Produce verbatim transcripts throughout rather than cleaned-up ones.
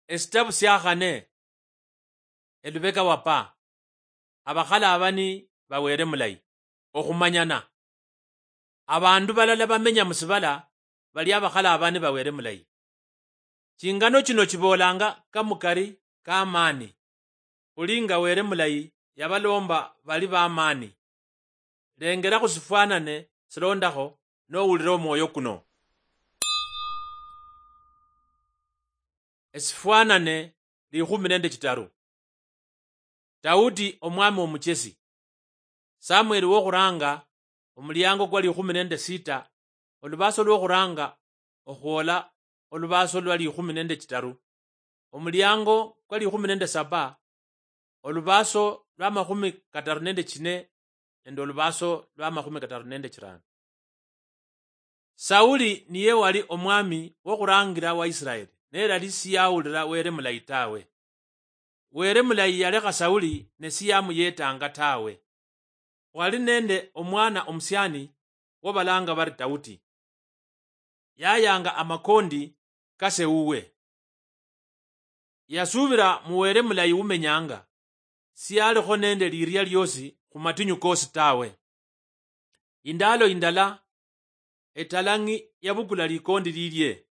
Esitabu siakhane, elubeka wapa, abakhalaabani ba Wele mulayi. Okhumanyana. Abandu balala bamenya musibala bali abakhalaabani ba Wele mulayi. Chingano chino chiboolanga kamukari ka maani, khuli nga Wele mulayi yabaloomba bali bamaani. Lengera khusifwanane silondakho nowulira omwoyo kuno. Esifwanane likhumi nende chitaru. Daudi omwami omuchesi. Samueli wokhuranga, omuliango kwa likhumi nende sita, olubaso lwokhuranga okhwola olubaso lwa likhumi nende chitaru. Omuliango kwa likhumi nende saba, olubaso lwa makhumi kataru nende chine nende olubaso lwa makhumi kataru nende chirano. Sauli niye wali omwami wokhurangira wa Israeli, ne yali siyawulira Wele mulayi tawe. Wele mulayi yalekha Sauli ne siyamuyetanga tawe. Khwali nende omwana omusiani wobalanga bari Daudi. Yayanga amakondi kase uwe. Yasubira mu Wele mulayi umenyanga, siyalikho nende liria liosi khumatinyu kosi tawe. Indalo indala, etalang'i yabukula likondi lilie.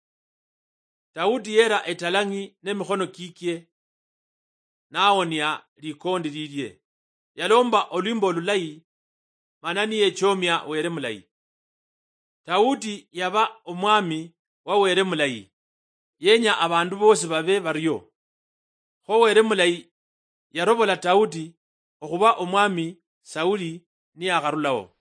Daudi yera etalang'i nemikhono kikie, nawonia likondi lilie. Yalomba olwimbo olulayi, mana niyechomia Wele mulayi. Daudi yaba omwami wa Wele mulayi, yenya abandu bosi babe bario. Kho Wele mulayi yarobola Daudi okhuba omwami Sauli niyakharulao.